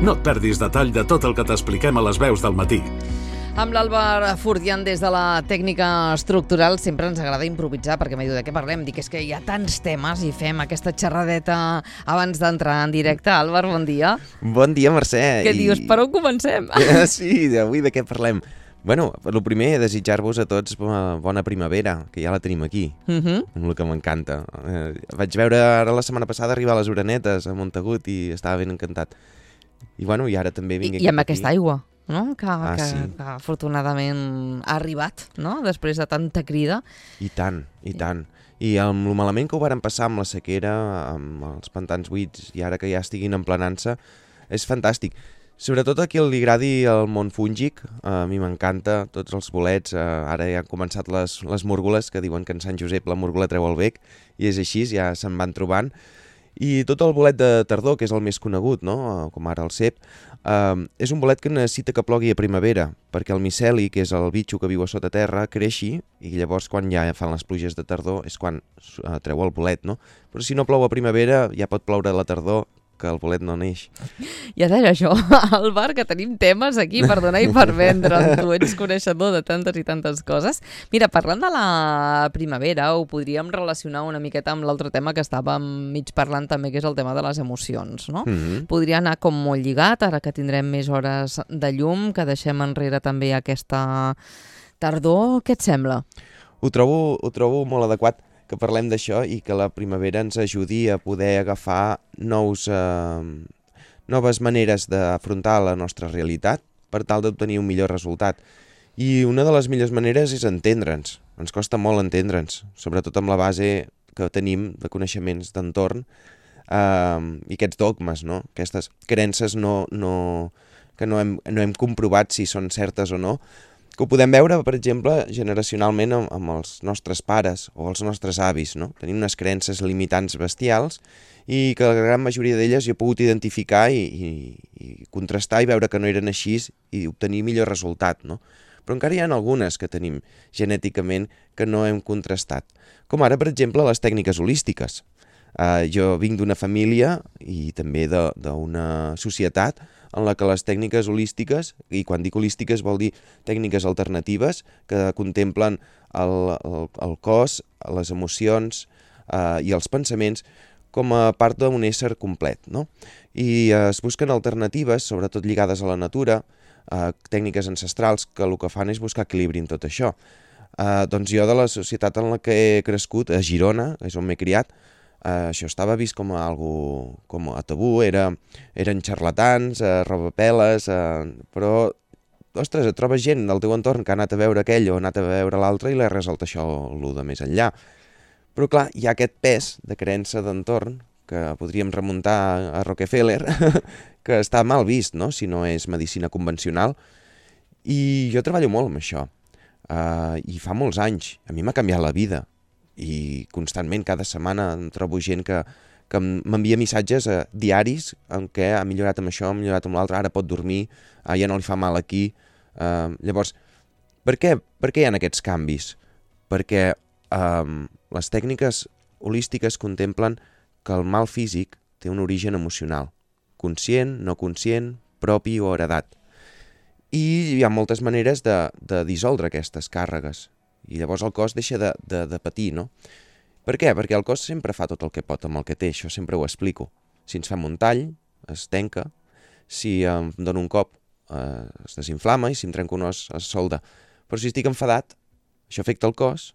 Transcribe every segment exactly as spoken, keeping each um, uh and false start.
No et perdis detall de tot el que t'expliquem a les veus del matí. Amb l'Àlvar Fortián des de la tècnica estructural sempre ens agrada improvisar, perquè m'he dit de què parlem. Dic, és que hi ha tants temes i fem aquesta xerradeta abans d'entrar en directe. Àlvar, bon dia. Bon dia, Mercè. Què I... dius? Per on comencem? Sí, avui de què parlem? Bueno, el primer, desitjar-vos a tots bona primavera, que ja la tenim aquí, uh -huh. amb el que m'encanta. Eh, vaig veure ara la setmana passada arribar a les Orenetes, a Montagut, i estava ben encantat. I bueno, i ara també vinc I, aquí. I amb aquesta aigua, no? Que, ah, que, sí. que afortunadament ha arribat, no? Després de tanta crida. I tant, i tant. I amb el malament que ho varen passar amb la sequera, amb els pantans buits, i ara que ja estiguin emplenant-se, és fantàstic. Sobretot a qui li agradi el món fúngic, a mi m'encanta, tots els bolets, ara ja han començat les, les múrgoles, que diuen que en Sant Josep la múrgola treu el bec, i és així, ja se'n van trobant. I tot el bolet de tardor, que és el més conegut, no? Com ara el cep, eh, és un bolet que necessita que plogui a primavera, perquè el miceli, que és el bitxo que viu a sota terra, creixi, i llavors quan ja fan les pluges de tardor és quan eh, treu el bolet, no? Però si no plou a primavera, ja pot ploure a la tardor, que el bolet no neix. Ja deia això, Àlvar, que tenim temes aquí per donar i per vendre. Tu ets coneixedor de tantes i tantes coses. Mira, parlant de la primavera, ho podríem relacionar una miqueta amb l'altre tema que estàvem mig parlant també, que és el tema de les emocions, no? Mm-hmm. Podria anar com molt lligat, ara que tindrem més hores de llum, que deixem enrere també aquesta tardor. Què et sembla? Ho trobo, ho trobo molt adequat que parlem d'això i que la primavera ens ajudi a poder agafar nous, eh, noves maneres d'afrontar la nostra realitat per tal d'obtenir un millor resultat. I una de les millors maneres és entendre'ns. Ens costa molt entendre'ns, sobretot amb la base que tenim de coneixements d'entorn eh, i aquests dogmes, no? Aquestes creences no, no, que no hem, no hem comprovat si són certes o no, que ho podem veure, per exemple, generacionalment amb, amb els nostres pares o els nostres avis, no? Tenim unes creences limitants bestials i que la gran majoria d'elles jo he pogut identificar i, i, i contrastar i veure que no eren així i obtenir millor resultat, no? Però encara hi ha algunes que tenim genèticament que no hem contrastat. Com ara, per exemple, les tècniques holístiques. Uh, jo vinc d'una família i també d'una societat en la que les tècniques holístiques, i quan dic holístiques vol dir tècniques alternatives que contemplen el, el, el cos, les emocions eh, i els pensaments com a part d'un ésser complet, no? I eh, es busquen alternatives, sobretot lligades a la natura, eh, tècniques ancestrals que el que fan és buscar equilibri en tot això. Eh, doncs jo de la societat en la que he crescut, a Girona, és on m'he criat, Uh, això estava vist com a, algo, com a tabú, era, eren xarlatans, uh, robapeles, uh, però, ostres, et trobes gent del teu entorn que ha anat a veure aquell o ha anat a veure l'altre i l'ha resolt això el de més enllà. Però clar, hi ha aquest pes de creença d'entorn que podríem remuntar a Rockefeller, que està mal vist, no?, si no és medicina convencional. I jo treballo molt amb això, uh, i fa molts anys. A mi m'ha canviat la vida. I constantment, cada setmana, em trobo gent que, que m'envia missatges eh, diaris en què ha millorat amb això, ha millorat amb l'altre, ara pot dormir, eh, ja no li fa mal aquí. Eh, llavors, per què, per què hi ha aquests canvis? Perquè eh, les tècniques holístiques contemplen que el mal físic té un origen emocional, conscient, no conscient, propi o heredat. I hi ha moltes maneres de, de dissoldre aquestes càrregues. I llavors el cos deixa de, de, de patir, no? Per què? Perquè el cos sempre fa tot el que pot amb el que té, això sempre ho explico. Si ens fem un tall, es tenca, si em dono un cop, eh, es desinflama, i si em trenco un os, es solda. Però si estic enfadat, això afecta el cos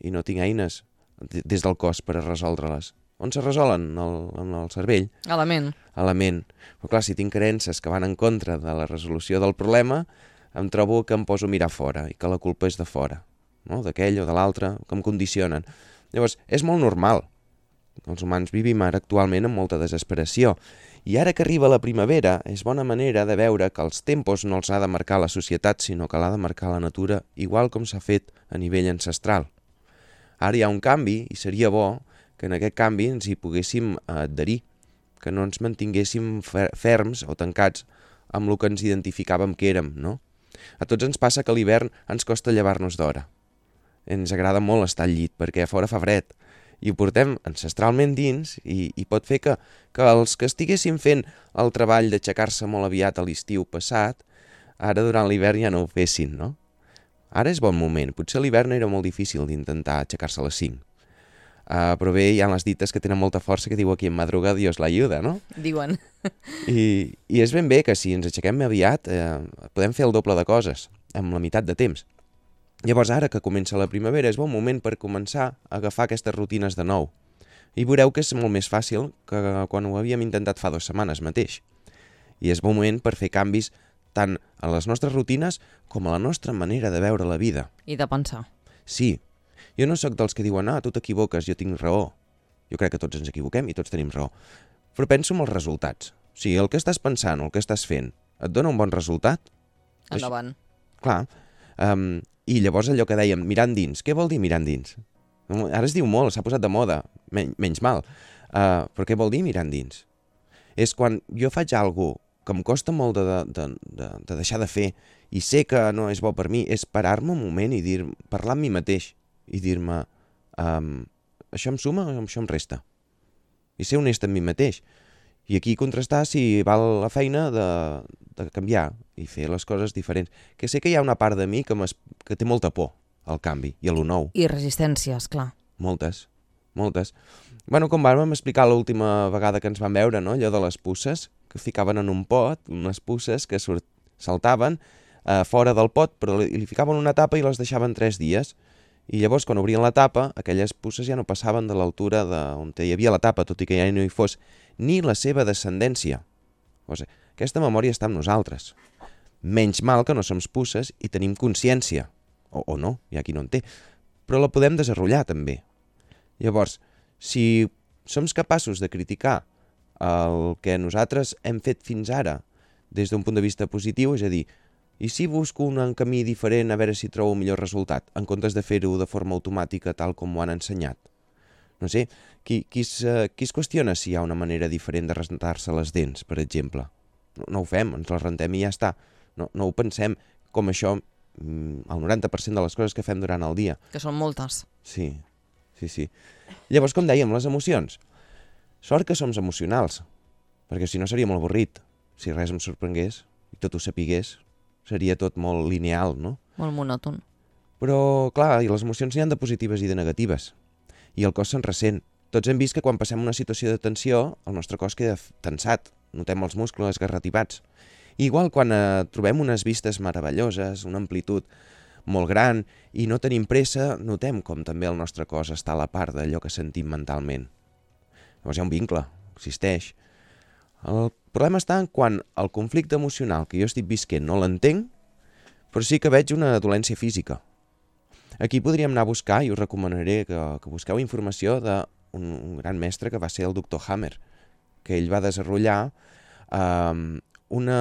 i no tinc eines des del cos per a resoldre-les. On se resolen? En el, en el cervell. A la ment. A la ment. Però clar, si tinc creences que van en contra de la resolució del problema, em trobo que em poso a mirar fora i que la culpa és de fora, no? D'aquell o de l'altre, que em condicionen. Llavors, és molt normal. Els humans vivim ara actualment amb molta desesperació. I ara que arriba la primavera, és bona manera de veure que els tempos no els ha de marcar la societat, sinó que l'ha de marcar la natura, igual com s'ha fet a nivell ancestral. Ara hi ha un canvi i seria bo que en aquest canvi ens hi poguéssim adherir, que no ens mantinguéssim ferms o tancats amb el que ens identificàvem que érem, no? A tots ens passa que a l'hivern ens costa llevar-nos d'hora. Ens agrada molt estar al llit, perquè a fora fa fred, i ho portem ancestralment dins i, i pot fer que, que els que estiguessin fent el treball d'aixecar-se molt aviat a l'estiu passat, ara durant l'hivern ja no ho fessin, no? Ara és bon moment. Potser a l'hivern era molt difícil d'intentar aixecar-se a les cinc. Uh, però bé, hi ha les dites que tenen molta força que diu aquí en madruga Dios l'ayuda, no? Diuen. I, I és ben bé que si ens aixequem aviat eh, podem fer el doble de coses, amb la meitat de temps. Llavors ara que comença la primavera és bon moment per començar a agafar aquestes rutines de nou. I veureu que és molt més fàcil que quan ho havíem intentat fa dues setmanes mateix. I és bon moment per fer canvis tant a les nostres rutines com a la nostra manera de veure la vida. I de pensar. Sí, jo no sóc dels que diuen ah, tu t'equivoques, jo tinc raó. Jo crec que tots ens equivoquem i tots tenim raó. Però penso en els resultats. O sigui, el que estàs pensant o el que estàs fent et dona un bon resultat? Endavant. Això, clar. Um, I llavors allò que dèiem, mirant dins. Què vol dir mirant dins? Ara es diu molt, s'ha posat de moda, men menys mal. Uh, però què vol dir mirant dins? És quan jo faig alguna cosa que em costa molt de, de, de, de deixar de fer i sé que no és bo per mi, és parar-me un moment i dir, parlar amb mi mateix i dir-me um, això em suma o això em resta? I ser honest amb mi mateix. I aquí contrastar si val la feina de, de canviar i fer les coses diferents. Que sé que hi ha una part de mi que, que té molta por al canvi i a lo nou. I resistències, clar. Moltes, moltes. Bueno, com vam explicar l'última vegada que ens vam veure, no? Allò de les puces, que ficaven en un pot, unes puces que surt, saltaven eh, fora del pot, però li, li ficaven una tapa i les deixaven tres dies. I llavors, quan obrien la tapa, aquelles puces ja no passaven de l'altura on hi havia la tapa, tot i que ja no hi fos ni la seva descendència. O sigui, aquesta memòria està amb nosaltres. Menys mal que no som puces i tenim consciència. O, o no, hi ha qui no en té. Però la podem desenrotllar, també. Llavors, si som capaços de criticar el que nosaltres hem fet fins ara des d'un punt de vista positiu, és a dir, i si busco un camí diferent a veure si trobo un millor resultat, en comptes de fer-ho de forma automàtica tal com ho han ensenyat? No sé, qui, qui, es, qui es qüestiona si hi ha una manera diferent de rentar-se les dents, per exemple? No, no ho fem, ens les rentem i ja està. No, no ho pensem com això el noranta per cent de les coses que fem durant el dia. Que són moltes. Sí, sí, sí. Llavors, com dèiem, les emocions. Sort que som emocionals, perquè si no seria molt avorrit. Si res em sorprengués i tot ho sapigués, seria tot molt lineal, no? Molt monòton. Però, clar, i les emocions n'hi ha de positives i de negatives. I el cos se'n ressent. Tots hem vist que quan passem una situació de tensió, el nostre cos queda tensat, notem els muscles garratipats. Igual quan eh, trobem unes vistes meravelloses, una amplitud molt gran, i no tenim pressa, notem com també el nostre cos està a la part d'allò que sentim mentalment. Llavors hi ha un vincle, existeix. El problema està en quan el conflicte emocional que jo estic visquent no l'entenc, però sí que veig una dolència física. Aquí podríem anar a buscar, i us recomanaré que, que busqueu informació d'un un gran mestre que va ser el doctor Hammer, que ell va desenvolupar eh, una,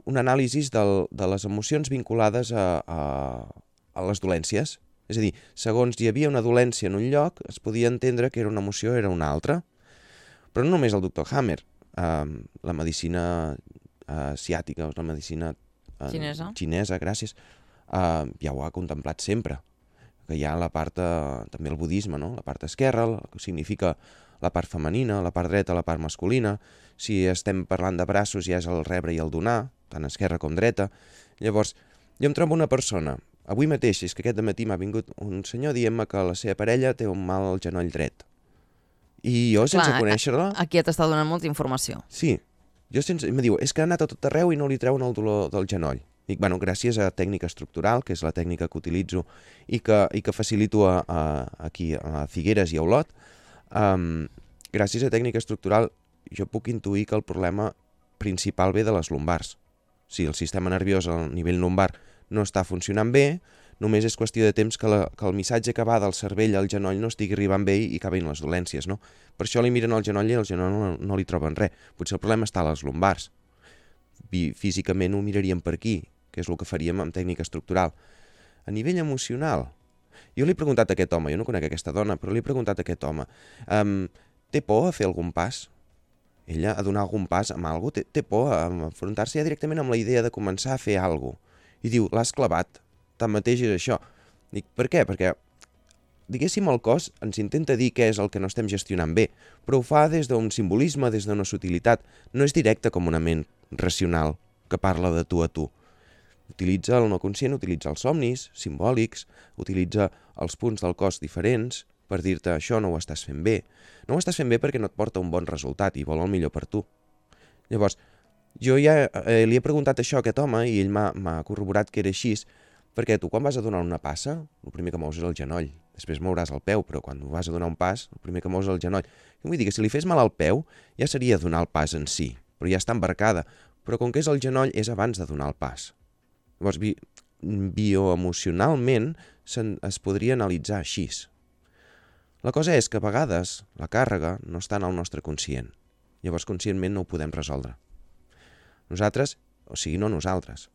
un anàlisi del, de les emocions vinculades a, a, a les dolències. És a dir, segons hi havia una dolència en un lloc, es podia entendre que era una emoció o era una altra. Però no només el doctor Hammer, eh, la medicina eh, asiàtica, la medicina eh, xinesa. xinesa, gràcies, eh, ja ho ha contemplat sempre. Que hi ha la part, eh, també el budisme, no? La part esquerra, que significa la part femenina, la part dreta, la part masculina. Si estem parlant de braços ja és el rebre i el donar, tant esquerra com dreta. Llavors, jo em trobo una persona, avui mateix, és que aquest dematí m'ha vingut un senyor dient-me que la seva parella té un mal al genoll dret. I jo, sense Clar, conèixer-la... Aquí t'està donant molta informació. Sí. Jo sense... Em diu, és que ha anat a tot arreu i no li treuen el dolor del genoll. Dic, bueno, gràcies a tècnica estructural, que és la tècnica que utilitzo i que, i que facilito a, a, aquí a Figueres i a Olot, um, gràcies a tècnica estructural jo puc intuir que el problema principal ve de les lumbars. Si el sistema nerviós al nivell lumbar no està funcionant bé, només és qüestió de temps que, la, que el missatge que va del cervell al genoll no estigui arribant bé i acabin les dolències, no? Per això li miren al genoll i al genoll no, no li troben res. Potser el problema està a les lumbars. I físicament ho miraríem per aquí, que és el que faríem amb tècnica estructural. A nivell emocional, jo li he preguntat a aquest home, jo no conec aquesta dona, però li he preguntat a aquest home, um, té por a fer algun pas? Ella a donar algun pas amb alguna cosa? Té, té por a enfrontar-se ja directament amb la idea de començar a fer alguna cosa. I diu, l'has clavat. Tanmateix és això. Dic, per què? Perquè diguéssim, el cos ens intenta dir què és el que no estem gestionant bé, però ho fa des d'un simbolisme, des d'una sutilitat. No és directe com una ment racional que parla de tu a tu. Utilitza el no conscient, utilitza els somnis simbòlics, utilitza els punts del cos diferents per dir-te això no ho estàs fent bé. No ho estàs fent bé perquè no et porta un bon resultat i vol el millor per tu. Llavors, jo ja eh, li he preguntat això a aquest home i ell m'ha corroborat que era així, perquè tu quan vas a donar una passa, el primer que mous és el genoll. Després mouràs el peu, però quan vas a donar un pas, el primer que mous és el genoll. I vull dir que si li fes mal al peu, ja seria donar el pas en si, però ja està embarcada. Però com que és el genoll, és abans de donar el pas. Llavors, bi bioemocionalment es podria analitzar així. La cosa és que a vegades la càrrega no està en el nostre conscient. Llavors, conscientment no ho podem resoldre. Nosaltres, o sigui, no nosaltres.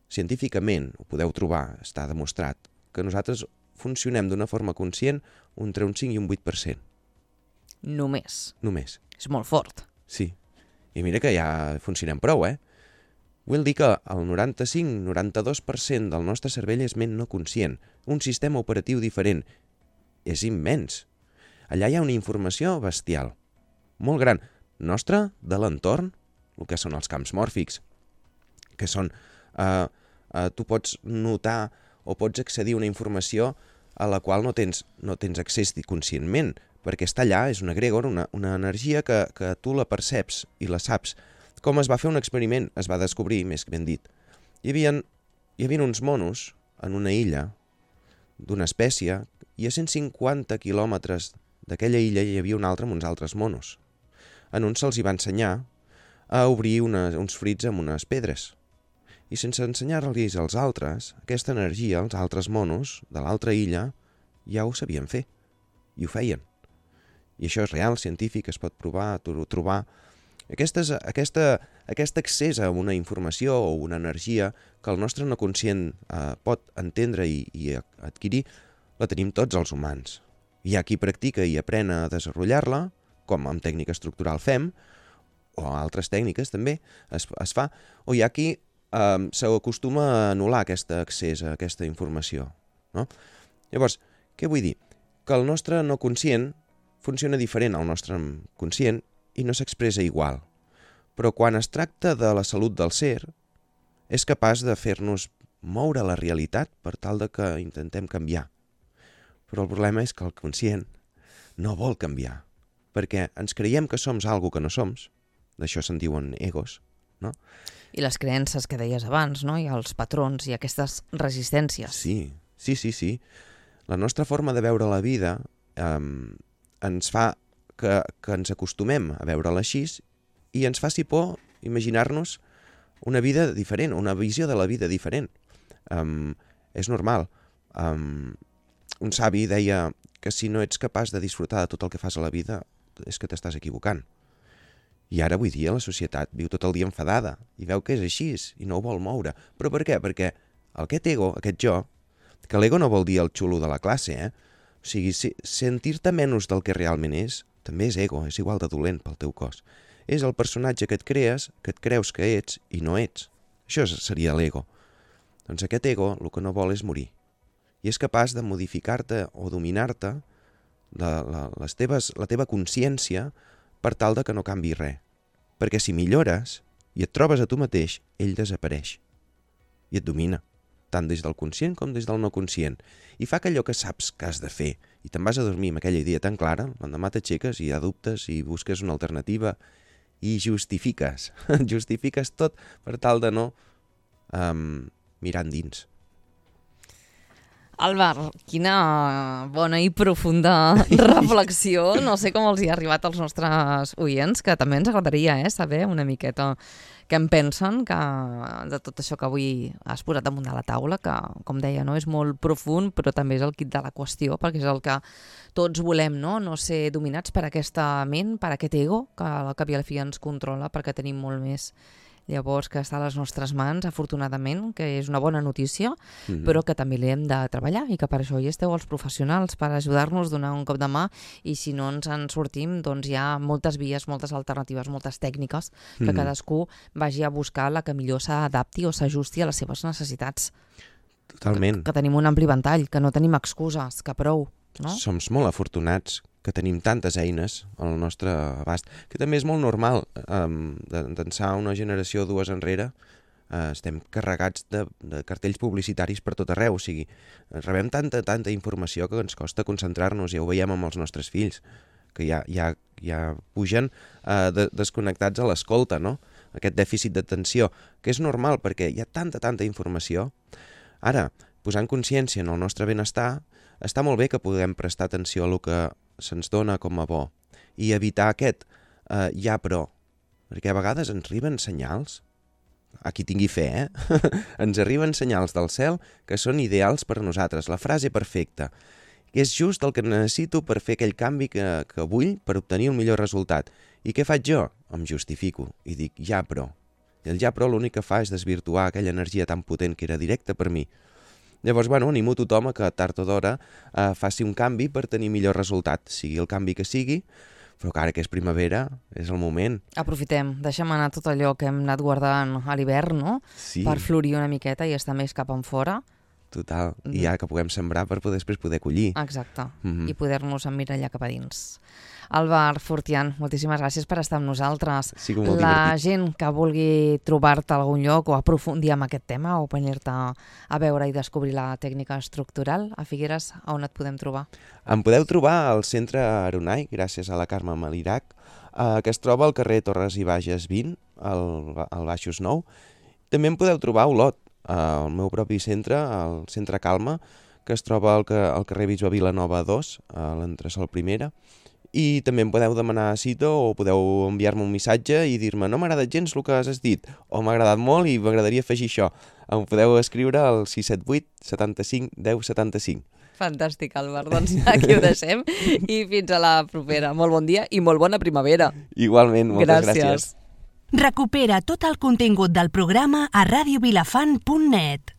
Científicament, ho podeu trobar, està demostrat, que nosaltres funcionem d'una forma conscient entre un cinc i un vuit per cent. Només. Només. És molt fort. Sí. I mira que ja funcionem prou, eh? Vull dir que el noranta-cinc a noranta-dos per cent del nostre cervell és ment no conscient, un sistema operatiu diferent. És immens. Allà hi ha una informació bestial, molt gran, nostra, de l'entorn, el que són els camps mòrfics, que són... Uh, uh, tu pots notar o pots accedir a una informació a la qual no tens, no tens accés conscientment, perquè està allà, és un egregor, una, una energia que, que tu la perceps i la saps. Com es va fer un experiment? Es va descobrir, més ben dit. Hi havia, hi havia uns monos en una illa d'una espècie i a cent cinquanta quilòmetres d'aquella illa hi havia un altre amb uns altres monos. En uns se'ls hi va ensenyar a obrir una, uns frits amb unes pedres. I sense ensenyar-los als altres, aquesta energia, els altres monos de l'altra illa, ja ho sabien fer. I ho feien. I això és real, científic, es pot provar, trobar. Aquestes, aquesta, aquest accés a una informació o una energia que el nostre no conscient eh, pot entendre i, i adquirir, la tenim tots els humans. Hi ha qui practica i aprèn a desenvolupar-la, com amb tècnica estructural fem, o altres tècniques també es, es fa, o hi ha qui eh, s'acostuma a anul·lar aquest accés a aquesta informació. No? Llavors, què vull dir? Que el nostre no conscient funciona diferent al nostre conscient i no s'expressa igual. Però quan es tracta de la salut del ser, és capaç de fer-nos moure la realitat per tal de que intentem canviar. Però el problema és que el conscient no vol canviar, perquè ens creiem que som algo que no som, d'això se'n diuen egos, no? I les creences que deies abans, no? I els patrons i aquestes resistències. Sí, sí, sí, sí. La nostra forma de veure la vida eh, ens fa que, que ens acostumem a veure-la així i ens faci por imaginar-nos una vida diferent, una visió de la vida diferent. Um, és normal. Um, un savi deia que si no ets capaç de disfrutar de tot el que fas a la vida és que t'estàs equivocant. I ara avui dia la societat viu tot el dia enfadada i veu que és així i no ho vol moure. Però per què? Perquè aquest ego, aquest jo, que l'ego no vol dir el xulo de la classe, eh? O sigui, si, sentir-te menys del que realment és, també és ego, és igual de dolent pel teu cos. És el personatge que et crees, que et creus que ets i no ets. Això seria l'ego. Doncs aquest ego el que no vol és morir. I és capaç de modificar-te o dominar-te la, la, les teves, la teva consciència per tal de que no canvi res. Perquè si millores i et trobes a tu mateix, ell desapareix. I et domina, tant des del conscient com des del no conscient. I fa que allò que saps que has de fer i te'n vas a dormir amb aquella idea tan clara, l'endemà t'aixeques i hi ha dubtes i busques una alternativa i justifiques. Justifiques tot per tal de no um, mirar endins. Álvar, quina bona i profunda reflexió. No sé com els hi ha arribat als nostres oients, que també ens agradaria eh, saber una miqueta què en pensen que, de tot això que avui has posat damunt de la taula, que, com deia, no és molt profund, però també és el quid de la qüestió, perquè és el que tots volem, no? No ser dominats per aquesta ment, per aquest ego, que al cap i a la fi ens controla, perquè tenim molt més. Llavors, que està a les nostres mans, afortunadament, que és una bona notícia, mm-hmm. però que també l'hem de treballar i que per això hi esteu els professionals, per ajudar-nos, donar un cop de mà, i si no ens en sortim, doncs hi ha moltes vies, moltes alternatives, moltes tècniques, que mm-hmm. cadascú vagi a buscar la que millor s'adapti o s'ajusti a les seves necessitats. Totalment. Que, que tenim un ampli ventall, que no tenim excuses, que prou. no? Som molt afortunats que tenim tantes eines al nostre abast, que també és molt normal. Um, d'ençà una generació o dues enrere, uh, estem carregats de, de cartells publicitaris per tot arreu. O sigui, rebem tanta, tanta informació que ens costa concentrar-nos, ja ho veiem amb els nostres fills, que ja, ja, ja pugen uh, de, desconnectats a l'escolta, no? Aquest dèficit d'atenció, que és normal perquè hi ha tanta, tanta informació. Ara, posant consciència en el nostre benestar, està molt bé que puguem prestar atenció a el que se'ns dona com a bo i evitar aquest eh, ja però, perquè a vegades ens arriben senyals, a qui tingui fe, eh? ens arriben senyals del cel que són ideals per a nosaltres, la frase perfecta, que és just el que necessito per fer aquell canvi que, que vull per obtenir un millor resultat. I què faig jo? Em justifico i dic ja però. I el ja però l'únic que fa és desvirtuar aquella energia tan potent que era directa per mi. Llavors, bueno, animo tothom a que tard o d'hora eh, faci un canvi per tenir millor resultat, sigui el canvi que sigui, però que ara que és primavera és el moment. Aprofitem, deixem anar tot allò que hem anat guardant a l'hivern, no? Sí. Per florir una miqueta i estar més cap en fora. Total, mm. i ja que puguem sembrar per poder, després poder collir. Exacte, mm-hmm. i poder-nos emmirallar cap a dins. Àlvar Fortián, moltíssimes gràcies per estar amb nosaltres. Sí, molt La divertit. gent que vulgui trobar-te a algun lloc o aprofundir en aquest tema o venir-te a veure i descobrir la tècnica estructural a Figueres, a on et podem trobar? Em podeu trobar al centre Aronai, gràcies a la Carme Malirac, eh, que es troba al carrer Torres i Bages vint, al, al Baixos nou. També em podeu trobar a Olot, al meu propi centre, al Centre Calma, que es troba al, al carrer Bisbe Vilanova dos, a l'entresòl primera. I també em podeu demanar cita o podeu enviar-me un missatge i dir-me no m'ha agradat gens el que has dit o m'ha agradat molt i m'agradaria afegir això. Em podeu escriure al sis set vuit setanta-cinc deu setanta-cinc. Fantàstic, Àlvar. Doncs aquí ho deixem i fins a la propera. Molt bon dia i molt bona primavera. Igualment, moltes gràcies. gràcies. Recupera tot el contingut del programa a radio vilafant punt net.